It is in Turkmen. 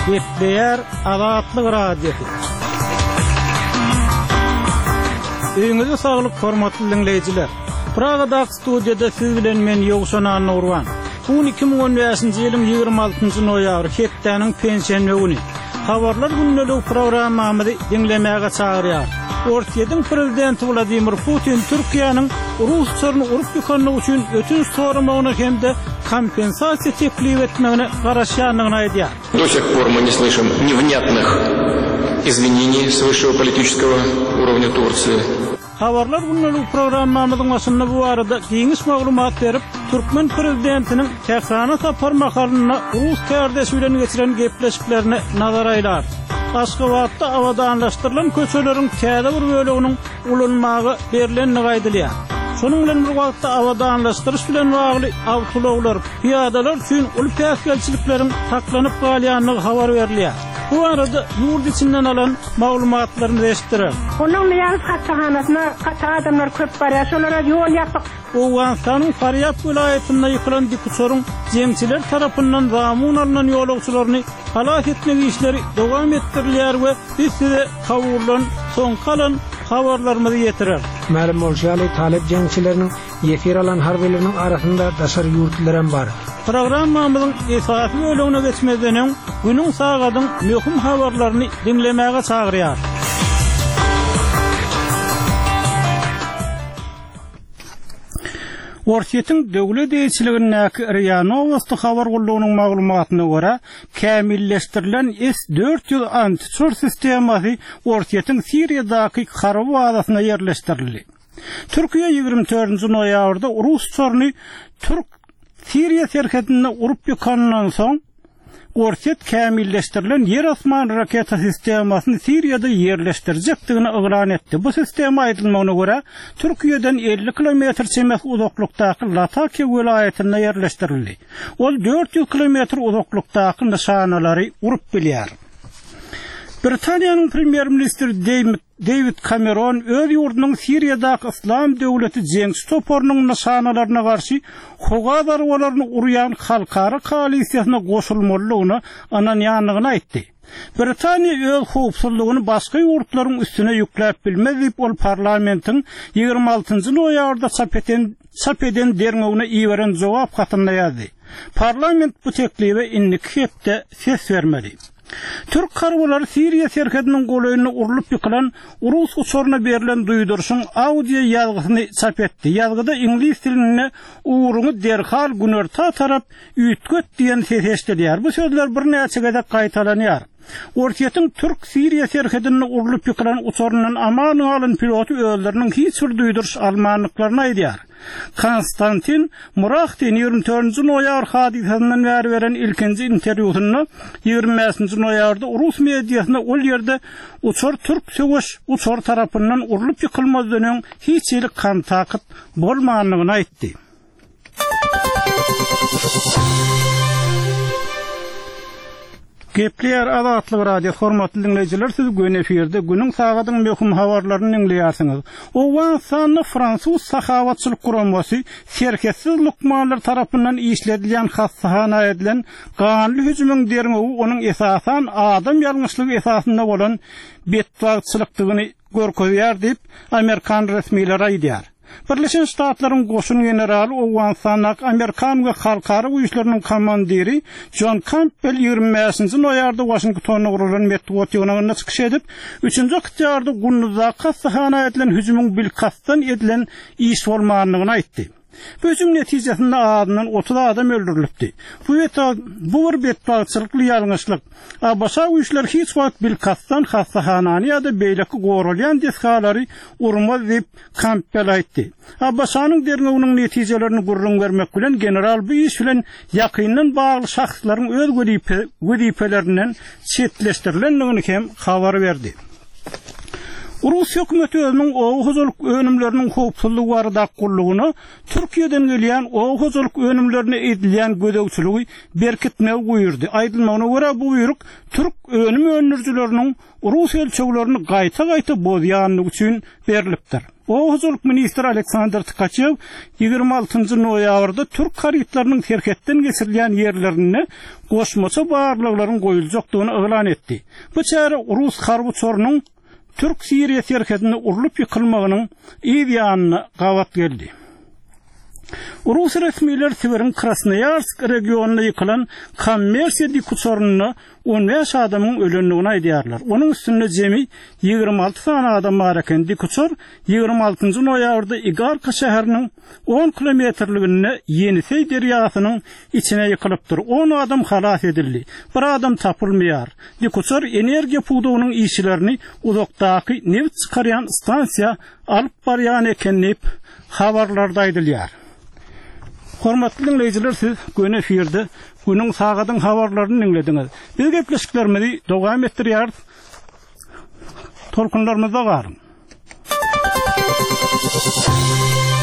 Gepleýär Azatlyk Radiosy. Öýüňize saglyk hormatly diňleýjiler. Pragadaky studiýada siz bilen men Ýowşan Annagurban. Bu gün 2015-nji ýylyň 26-njy noýabry, hepdäniň penşenbe güni. Habarlar gündeligi programmamyzy diňlemäge çagyrýarys. Orsýetiň prezidenti Wladimir Putin Türkiýäniň rus uçaryny urup ýykandygy üçin ötünç soramagyna hem-de kompensasiýa teklip etmegine garaşýandygyny aýdýar. Do sih por мы не слышим невнятных izwineniý s wyşşego politiçeskogo urovnýa Tursiýi. Habarlar gündeligi programmamyzyň başynda bu barada giňiş maglumat berip, türkmen prezidentiniň Tährana sapar mahalynda rus kärdeşi bilen geçiren gepleşiklerine nazar aýlarys. Aşgabatda abadanlaşdyrylan köçeleriň täze bir böleginiň ulanmaga berlendigi aýdylýar. Şonuň bilen bir wagtda abadanlaşdyryş bilen bagly awtoulaglar, pyýadalar üçin uly päsgelçilikleriň saklanyp galýandygy habar berilýär. Bu barada ýurt içinden alan maglumatlarymyz eşitdirer. Onuň Nyýazow hassahanasyna gaty adamlar köp barýar. Şolara ýol ýapyk. Owganystanyň Farýab welaýatynda ýykylan dikuçaryň jeňçiler tarapyndan zamun alnan ýolagçylaryny halas etmek işleri dowam etdirilýär we biz size Kabuldan soňky alan habarlarymyzy ýetireris. Mälim bolşy ýaly, talyp jeňçileriniň ýesir alan harbylarynyň arasynda daşary ýurtlylaram bar. Programmamyzyň esasy bölegine geçmezden öň, günüň sagadyň möhüm habarlaryny diňlemäge çagyrýarys. Orsýetiň döwlet eýeçiligindäki RIA Nowosti habar gullugynyň maglumatyna görä, kämilleşdirilen S 400 antiuçar sistemasy Orsýetiň Siriýadaky harby bazasyna ýerleşdirildi. Türkiýe 24-nji noýabrda rus uçaryny türk-siriýa serhedinde urup ýykanyndan soň, Orsýet kämilleşdirilen ýer-asman raketa sistemasyny Siriýada ýerleşdirjekdigini yglan etdi. Bu sistema aýdylmagyna görä, Türkiýeden 50 kilometr çemesi uzaklykdaky Latakiýa welaýatynda ýerleşdirildi. Ol 400 kilometr uzaklykdaky nyşanalary urup bilýär. Britaniýanyň premýer-ministri Deýwid Kameron öz ýurdunyň Siriýadaky Yslam döwleti jeňçi toparynyň nyşanalaryna garşy howa zarbalaryny urýan halkara koalisiýasyna goşulmalydygyna ynanýandygyny aýtdy. Britaniýa öz howpsuzlygyny başga ýurtlaryň üstüne ýükläp bilmez diýip, ol parlamentiň 26 nji noýabrda çap eten çap eden derňewine iberen jogap hatynda ýazdy. Parlament bu teklibe indiki hepde ses bermeli. Türk harbylary Siriýa serhediniň golaýynda urlup ýykylan rus uçaryna berlen duýduryşyň audio ýazgysyny çap etdi. Ýazgyda iňlis dilinde Ugruňy derhal günorta tarap üýtget diýen ses eşidilýär. Bu sözler birnäçe gezek gaýtalanýar. Orsýetiň türk-siriýa serhedinde urlup ýykylan uçaryndan aman galan piloty özleriniň hiç bir duýduryş almandyklaryny aýdýar. Konstantin Murahtin 24-nji noýabr hadysasyndan bäri beren ilkinji interwýusynda 25-nji noýabrda rus mediasyna ol ýerde uçar türk söweş uçary tarapyndan urlup ýykylmazdan öň hiç hili kontakt bolmandygyny aýtdy. Gepleýär Azatlyk Radiosy hormatly diňleýjiler siz göni efirde günüň sagadyň möhüm habarlaryny diňleýärsiňiz. Owganystanda fransuz sahawatçylyk guramasy Serhetsiz lukmanlar tarapyndan işledilýän hassahana edilen ganly hüjümiň derňewi onuň esasan adam ýalňyşlygy esasynda bolan betbagtçylykdygyny görkezýär diýip, amerikan resmileri aýdýar. Birleşen Ştatlaryň goşun generaly Owganystandaky amerikan we halkara güýçleriniň komandiri Jon Kampbell 25-nji noýabrda Waşingtonda guralan metbugat ýygnagynda çykyş edip, üçünji oktýabrda Gunduzdaky hassahana edilen hüjümiň bilkastdan edilen iş bolmandygyny aýtdy. Bu hüjüm netijesinde azyndan 30 adam öldürilipdi. Bu bu bir betbagtçylykly ýalňyşlyk. ABŞ güýçleri hiç wagt bilkastdan hassahanany ýa-da beýleki goralýan desgalary urmaz diýip, Kampbell aýtdy. ABŞ-nyň derňewiniň netijelerini gürrüň bermek bilen, general bu iş bilen ýakyndan bagly şahslaryň öz wezipelerinden çetleşdirilendigini hem habar berdi. Rus hökümeti özüniň oba hojalyk önümleriniň howpsuzlygy baradaky gullugyna Türkiýeden gelýän oba hojalyk önümlerine edilýän gözegçiligi berkitmegi buýurdy. Aýdylmagyna görä, bu buýruk türk önüm öndürijileriniň rus ölçeglerini gaýta-gaýta bozýandygy üçin berlipdir. Oba hojalyk ministri Aleksandr Tkaçew 26-njy noýabrda türk harytlarynyň serhetden geçirilýän ýerlerinde goşmaça barlaglaryň goýuljakdygyny yglan etdi. Bu çäre rus harby uçarynyň türk-siriýa serhedinde urlup ýykylmagynyň yz ýanyna gabat geldi. Rus resmiler Sibiriň Krasnoýarsk regionynda ýykylan kommersiýa dikuçarynda 15 adamyň ölendigini aýdýarlar. Onuň üstünde jemi 26 sany adam bar eken. Dikuçar 26-njy noýabrda Igarka şäheriniň on kilometrliginde Ýeniseý derýasynyň içine ýykylypdyr. On adam halas edildi. Bir adam tapylmaýar. Dikuçar energiýa pudagynyň işçilerini uzakdaky nebit çykarýan stansiýa alyp barýan eken diýip, habarlarda aýdylýar. Hormatly diňleýjiler, siz göni efirde günüň sagadyň habarlaryny diňlediňiz. Biz gepleşiklerimizi dowam etdirýäris. Tolkunlarymyzda galyň.